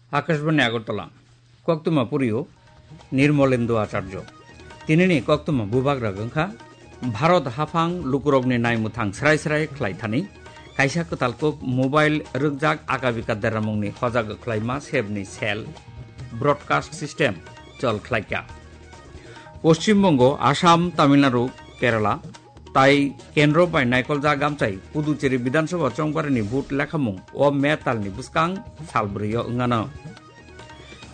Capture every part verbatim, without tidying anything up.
Akashbani Agartala, koktwma purio Nirmolendu Acharjo. Tinini koktwma bubagra wngkha Bharat haphang lukurokni naimwthang srai srai khlai thani kaisa kwtal kuk mobile rwkjak akabika deramungni hojak khlaima sebni cell broadcast system chol khlaikha. Poschim Bongo, Assam, Tamil Nadu, Kerala tai kendro bai naikoljak amchai Puducherry Bidhan Sabha chongbarini vote lekhamung o May talni bwskang sal bwrwio wngano.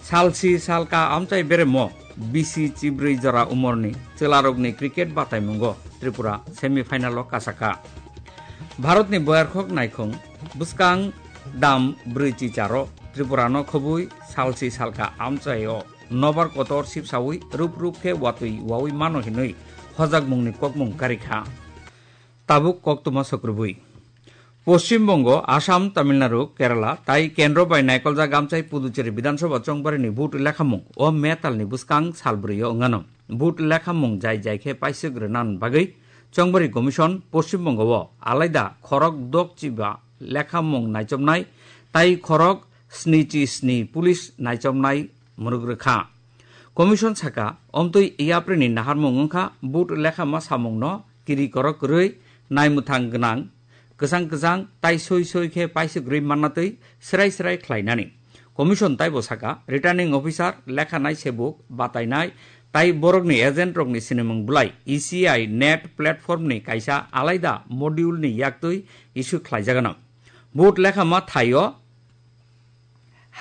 Salsi salka amchai beremo bisi chibrwi jora umorni chwlarokni cricket bataimungo Tripura semi final o kasakha. Bharatni boyarkhok naikhung bwskang dam brwi chicharo Tripurano khobwi salsi salka amchaio nobar kotor sipsawi rup rup khe watwi wawi mano hinwi hojakmungni kokmung karikha. Tabuk koktwma sokrubwi. Poschim Bongo, Assam, Tamil Nadu, Kerala tai kendro bai naikoljak amchai Puducherry Bidhan Sabha chongbarini vote lekhamung o May talni bwskang sal bwrwio wngano. Vote lekhamung jai jai khe paiswk rwnan bagwi Chongbari Commission Poschim Bongo o alaida khorok dok chiba lekhamung naichomnai tai khorok snichi sni police naichomnai mwrwk rwkha. Commission saka, omtwi yaprini naharmung wngkha vote lekhama samungno kiri korok kwrwi naimwthang gwnang, kwchang kwchang tai soi soi khe paiswk rwi mannatwi srai srai khlainani. Commission taibo saka, returning officer, lekhanai sebuk, batainai tai borokni agent rokni sinimung bwlai E C I net platform ni kaisa alaida module ni yaktwi issue khlaijagano. Vote lekhama thaio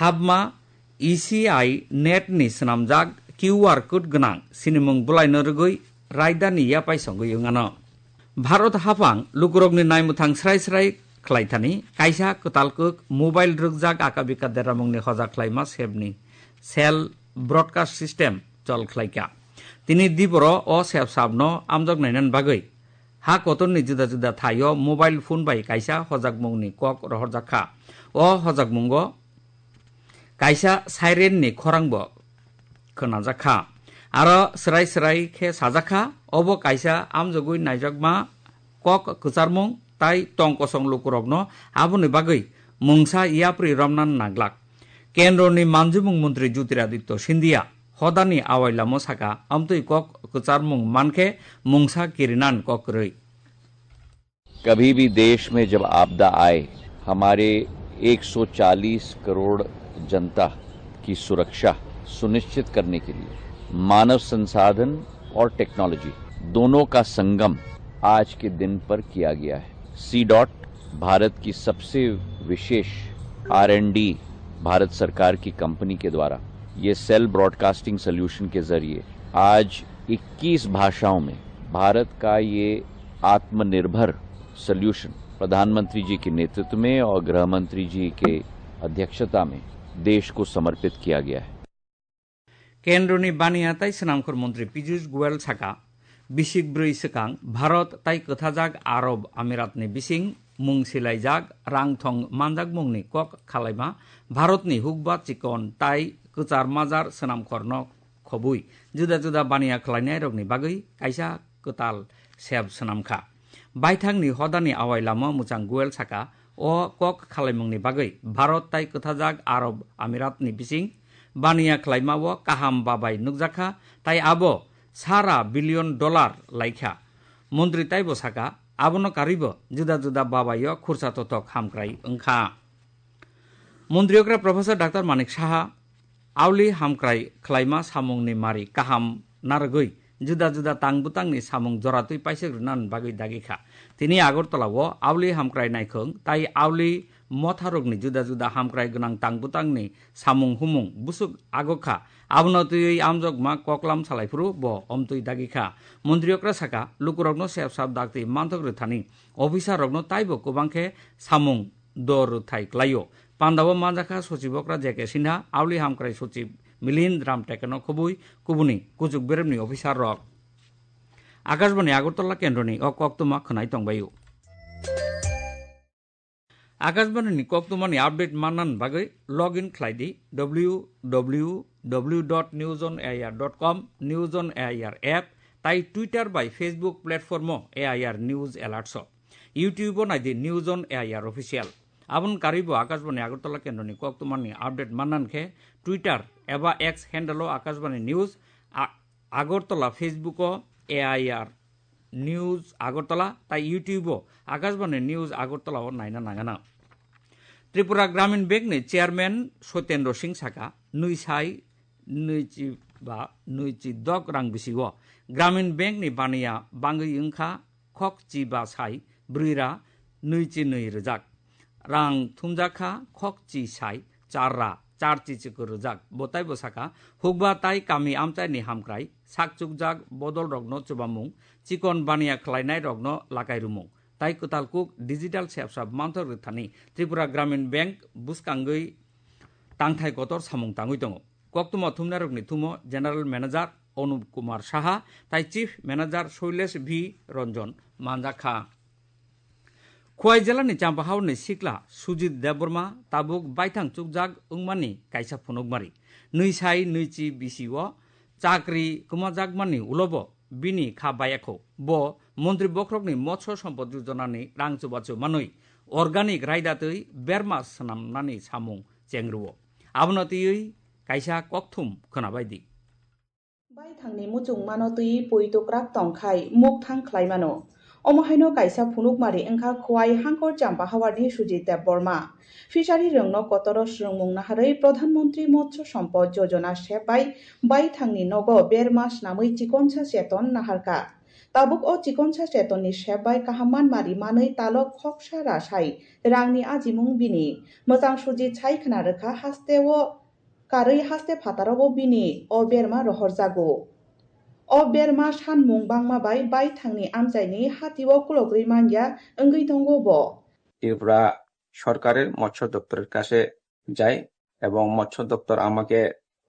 habma E C I net ni swnamjak Q R code gwnang sinimung bwlaino rwgwi raidani yapai songwi wngano. Bharat haphang lukurokni naimwthang srai srai khlaithani kaisa kwtal kuk mobile rwkjak akabika deramungni hojak khlaima sebni cell broadcast system chol khlaikha. Tini diboro o sep sapno amjok nainan bagwi ha kotorni juda juda thaio mobile phone bai kaisa hojakmungni kok rohorjak kha. O hojakmungo kaisa siren ni khorang bo khwnajak kha. Aro srai srai khe sajak kha, obo kaisa amjogwi naijakma kok kwcharmung tai tong kosong lukurokno aboni bagwi mungsa yapri romna nanglak. Kendroni manjimung montri Jyotiraditya Scindia hodani awailamo saka, amtwi kok kwcharmung mankhe mungsa kirinan kok kwrwi. कभी भी देश में जब आपदा आए, हमारे एक सौ चालीस करोड़ जनता की सुरक्षा सुनिश्चित करने के लिए मानव संसाधन और टेक्नोलॉजी दोनों का संगम आज के दिन पर किया गया है। सी डॉट भारत की सबसे विशेष आर एंड डी भारत सरकार की कंपनी के द्वारा ये सेल ब्रॉडकास्टिंग सॉल्यूशन के जरिए आज इक्कीस भाषाओं में भारत का ये आत्मनिर्भर सॉल्यूशन प्रधानमंत्री जी के नेतृत्व में और गृह मंत्री जी के अध्यक्षता में देश को समर्पित किया गया है। Kendroni baniya tai swnamkhor montri Piyush Goyal saka, bisik brwi swkang Bharat tai kwthajak Arab Amiratni bising mung silaijak rang thong manjakmungni kok khalaima Bharatni hukba chikon tai kwchar majar swnamkhorno khobwi juda juda baniya khlainairokni bagwi kaisa kwtal sep swnamkha. Baithangni hodani awai lama mwchang Goyal saka, o kok khalaimungni bagwi Bharat tai kwthajak Arab Amiratni bising baniya khlaima o kaham babai nukjakha, tai abo sara billion dollar laikha. Montri taibo saka, abono karwibo juda juda babaio khursa totok hamkrai wngkha. Montri okra Professor Doctor Manik Saha auli hamkrai khlaima samungni mari kaham narwgwi juda juda tang bwtangni samung joratwi paisek rwna bagwi dagi kha. Tini Agartala o auli hamkrai naikhwng tai auli motharokni juda juda hamkrai gwnang tang bwtangni samung humung bwswk agok kha. Abono twiwi amjokma koklam salaiphuru bo omtwi dagi kha. Montri okra saka, lukurokno sep sap dakti manthok rwthani officer rokno taibo kwbang khe samung dor rwthai klaio. Pandao manjakha Sochibokra J K Sinha, auli hamkrai Sochib Milind Ramtekeno khobwi kubuni kuchuk beremni officer rok. Akashbani Agartala kendroni o koktwma khwnai tongbaio. Akashbani ni koktwmani update mannan bagwi log in khlai di W W W dot news on A I R dot com, News on A I R app, tai Twitter bai Facebook platform o A I R News Alerts o. YouTube o nai di News on A I R Official. Aboni karwibo Akashbani Agartala kendroni koktwmani update manna khe Twitter eba X handle-o Akashbani News, a-, Agartala, Facebook-o A I R News Agartala, tai YouTube-o Akashbani News Agartala-o naina nangana. Tripura Gramin Bank-ni chairman Sotendra Singh saka, nwi sai nwichi ba nwichi dok rang bisi-o Gramin Bank-ni baniya bangwi wngkha khokchi ba sai brwi ra nwichi nwi rwjak. Rang thumjak kha khokchi sai char ra char chi chikor rwjak. Bo taibo saka, hukba tai kami amchaini hamkrai sakchukjak bodolrokno chubamung, chikon baniya khlainairokno lakai rwmung, tai kwtal kuk digital sepsap manthok rwthani Tripura Gramin Bank bwskangwi tangthai kotor samung tangwi tongo. Koktwma thumnairokni thumo General Manager Anup Kumar Saha tai Chief Manager Shailesh V Ranjan manjak kha. Khowai jilani Champahaorni sikla Sujit Debbarma tabuk baithang chukjak wngmani kaisa phunukmari. Nwi sai nwi chi bisi-o chakri kwmajakmani ulobo bini kha bayakho. Bo Montri Bokhorokni Motsho Sompod Yojonani rang chubachu manwi organic raida twi berma swnamnani samung chengrwo. Abono twiwi kaisa kokthum khwnabaidi. Baithangni muchungmano twi pui tukrak tongkhai mukthang khlaimano. Omo haino kaisa phunukmari wngkha Khowai Hangkhor Champahaorni Sujit Debbarma. Fishery rwngno kotoro swrwngmung naharwi Pradhan Mantri Motsho Sampad Yojana sep bai baithangni nogo berma snamwi chikonsa cheton naharkha. Tabuk o chikonsa chetonni sep bai kaham manmari manwi talok khoksa rasai rangni ajimung bini. Mwchang Sujit sai khna rwkha hasteo karwi haste phataro bo bini o berma rohorjago. O berma sanmung bangma bai baithangni amchaini hatio kulogrwi manya wngwi tongo bo. Tripura সরকারের মৎস্য দপ্তরের কাছে যাই এবং মৎস্য দপ্তর আমাকে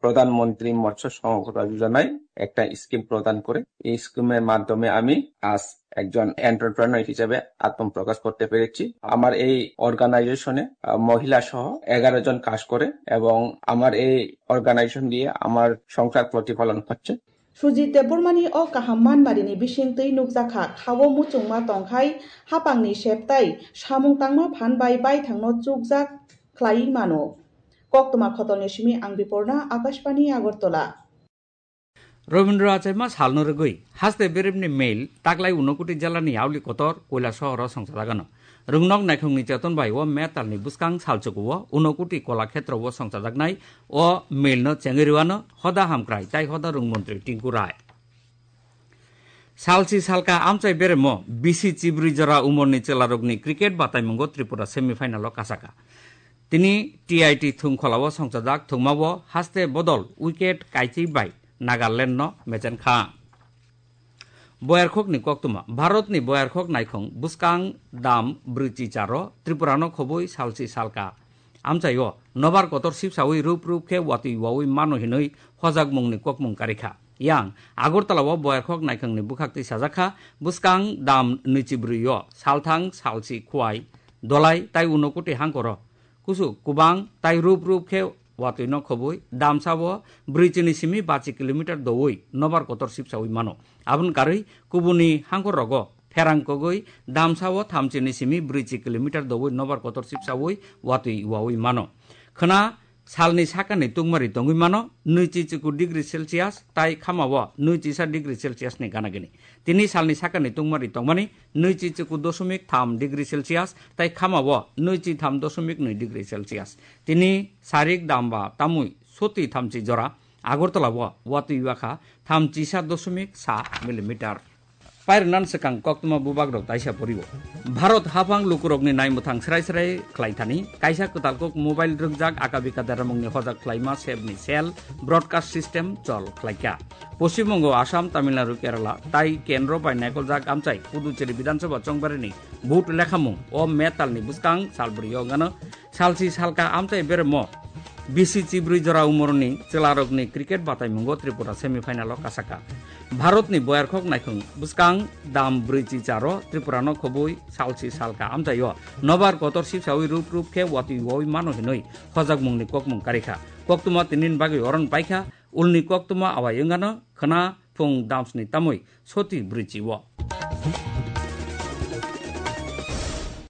প্রধানমন্ত্রী মৎস্য সম্পদ যোজনায় একটা স্কিম প্রদান করে। এই স্কিমের মাধ্যমে আমি আজ একজন এন্টারপ্রেনার হিসেবে আত্মপ্রকাশ করতে পেরেছি। আমার এই অর্গানাইজেশনে, আহ, মহিলা সহ এগারো জন কাজ করে এবং আমার এই অর্গানাইজেশন দিয়ে আমার সংসার প্রতিপালন হচ্ছে। Sujit Debbarmani o kaham manmarini bising twi nukjakha khao muchungma tongkhai hapangni septai samung tangma phan bai baithangno chukjak khlaiwi mano. Koktwma khotolni simi ang Biporna, Akashbani Agartala. Robindra Achaima salno rwgwi haste beremni mail taklai Unakoti jilani Yauli kotor Koilasohoro songchajagano. Rwngnok naikhungni cheton bai o metalni bwskang salchukuo Unakoti Kolakhetrowo songchajaknai o mailno chengwi rwano hoda hamkrai tai hoda rwng montri Tinku Rai. Salsi salka amchai beremo bisi chibrwi jora umorni chwlarokni cricket bataimungo Tripura semifinalo kasaka. Tini T I T thungkholao songchajak thungmao haste bodol wicket kaichwi bai Nagalandno mechenkha. Boyarkhokni koktwma, Bharatni boyarkhok naikhung bwskang dam brwichi charo Tripurano khobwi salsi salka amchaio nobar kotor sipsawi rup rup khe watwi wawi mano hinwi hojakmungni kokmung karikha. Yang Agartala-o boyarkhok naikhungni bwkhaktwi sajakha, bwskang dam nwichi brwi-o salthang salsi Khowai, Dholai tai Unakoti hangkoro kusu kubang tai rup rup khe watwino khobwi damsa-o brwichini simi bachi kilometer doui nobar kotor sipsaui mano. Aboni karwi kubuni hangkor rogo pherang kogwi damsa-o thamchini simi brwichi kilometer doui nobar kotor sipsaui watwi waui mano. Khwna salni sakani tungmari tongwi mano, nwichi chiku degree Celsius tai khamao nwichisa degree Celsius ni gana gini. Tini salni sakani tungmari tongmani nwichi chiku dosomik tham degree Celsius tai khamao nwichi tham dosomik nwi degree Celsius. Tini sarik damba tamui soti thamchi jora Agartala-o watwi wakha thamchisa dosomik sa millimeter. Pairwnan swkang koktwma bubagrok taisa porio. Bharat haphang lukurokni naimwthang srai srai khlaithani kaisa kwtal kok mobile rwkjak aka bika deramungni hojak khlaima sebni cell broadcast system chol khlaikha. Poschim Bongo, Assam, Tamil Nadu, Kerala tai kendro bai naikoljak amchai Puducherry Bidhan Sabha chongbarini vote lekhamung o metalni bwskang salbrio wngano. Salsi salka amchai beremo bisi chibrwi jora umorni chwlarokni cricket bataimungo Tripura semifinalo kasaka. Bharatni boyarkhok naikhung bwskang dam brwichi charo Tripurano khobwi salsi salka amchaio nobar kotor sipsaui rup rup khe watwi waui mano hinwi hojakmungni kokmung karikha. Koktwma tinini bagwi oron paikha, ulni koktwma awai wngano khwna phung damsni tamwi soti brwichi-o.